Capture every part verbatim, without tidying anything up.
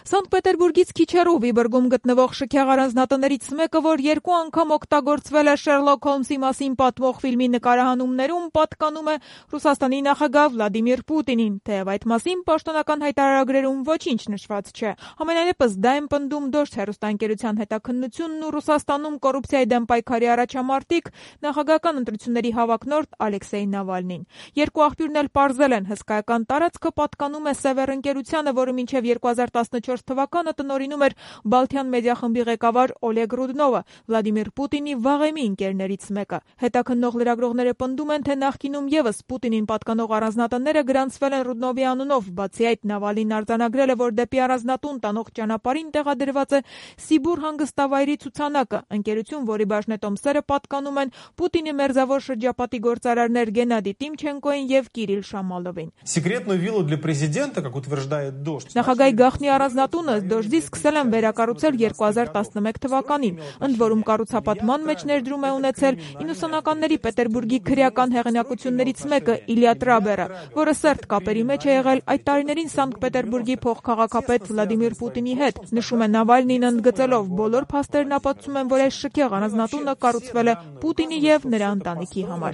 Սանտ Պետերբուրգից քիչ հեռու Վիբուրգում գտնվող շքեղ առանձնատներից մեկը, որ երկու անգամ օգտագործվել է Շերլոք Հոլմսի մասին պատմող ֆիլմի նկարահանումներում, պատկանում է Ռուսաստանի նախագահ Վլադիմիր Պուտինին, թեև այդ մասին պաշտոնական հայտարարագրերում ոչինչ նշված չէ։ Համենայնիվս դա են պնդում Դոժդ հեռուստաընկերության հետաքննությունն ու Ռուսաստանում կոռուպցիայի դեմ պայքարի առաջամարտիկ, նախագահական ընտրությունների հավակնորդ Ալեքսեյ Նավալնին։ Երկու աղբյուրն էլ պարզել են, հսկայական տարածքը պատկանում է Սևեր ընկերությանը, որը մինչև երկու հազար տասնչորս թվականը տնօրինում էր Բալթյան մեդիա խմբի ղեկավար Օլեգ Ռուդնովը, Վլադիմիր Պուտինի վաղեմի ընկերներից մեկը։ Հետաքննող լրագրողները պնդում են, թե նախկինում ևս Պուտինին պատկանող առանձնատները գրանցվել են Ռուդնովի անունով, բացի այդ Նավալին արձանագրել է, որ դեպի առանձնատուն տանող ճանապարհին տեղադրված է Սիբուր հանգստավայրի ցուցանակը, ընկերություն, որի բաժնետոմսերը պատկանում են Պուտինի մերձավոր շրջապատի գործարարներ Գենադի Տիմչենկոին եւ Կիրիլ Շամալովին։ Секретную виллу для президента, как утверждает Дождь. Նախագահի գաղտնի առանձնատունը Դոժդի սկսել են վերակառուցել երկու հազար տասնմեկ թվականին, ընդ որում կառուցապատման մեջ ներդրում է ունեցել իննսունականների Պետերբուրգի քրեական հեղինակություններից մեկը Իլյա Տրաբերը, որը սերտ կապերի մեջ է եղել այդ տարիներին Սանկտ Պետերբուրգի փոխքաղաքապետ Վլադիմիր Պուտինի հետ, նշում է Նավալնին ընդգծելով, բոլոր փաստերն ապացուցում են, որ այս շքեղ առանձնատունը կառուցվել է Պուտինի եւ նրա ընտանիքի համար։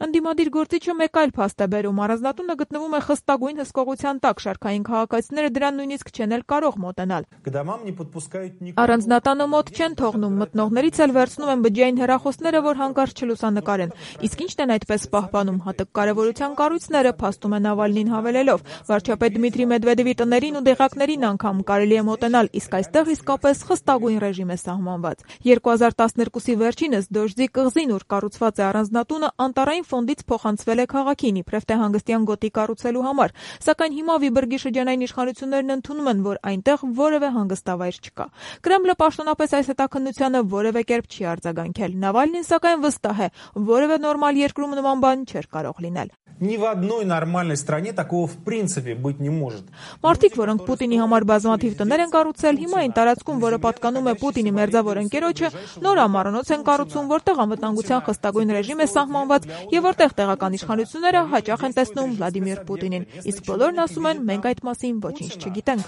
Ընդդիմադիր գործիչը մեկ այլ փաստ է բերում, առանձնատունը գտնվում է խստագույն հսկողության տակ, շարքային քաղաքացիները դրան նույնիսկ չեն էլ կարող մոտենալ։ Առանձնատանը մոտ չեն թողնում, մտնողներից էլ վերցնում են բջջային հեռախոսները, որ հանկարծ չլուսանկարեն։ Իսկ ինչն են այդպես պահպանում, հատուկ կարևորության կառույցները, փաստում է Նավալնին հավելելով։ Վարչապետ Դմիտրի Մեդվեդևի տներին ու դեղակներին անգամ կարելի է մոտենալ, իսկ այստեղ իսկապես խստագույն ռեժիմ է սահմանված։ երկու հազար տասներկուսի վերջինս Դոժդի կղզին, ուր կառուցված է առանձնատունը, անտառային ֆոնդից փոխանցվել է քաղաքին, իբրև թե հանգստյան գոտի կառուցելու համար, սակայն հիմա Վիբուրգի շրջանային իշխանություններն ընդունում են, որ այնտեղ որևէ հանգստավայր չկա։ Կրեմլը պաշտոնապես այս հետաքննությանը որևէ կերպ չի արձագանքել։ Նավալնին սակայն վստահ է, որևէ նորմալ երկրում նման բան չէր կարող լինել։ Ни в одной нормальной стране такого в принципе быть не может. Մարդիկ, որոնք Պուտինի համար բազմաթիվ տներ են կառուցել, հիմա այն տարածքում, որը պատկանում է Պուտինի մերձավոր ընկերոջը, նոր ամառանոց են կառուցում, որտեղ անվտանգության խստագույն ռեժիմ է սահմանված եւ որտեղ տեղական իշխանությունները հաճախ են տեսնում Վլադիմիր Պուտինին։ Իսկ բոլորն ասում են, մենք այդ մասին ոչինչ չգիտենք։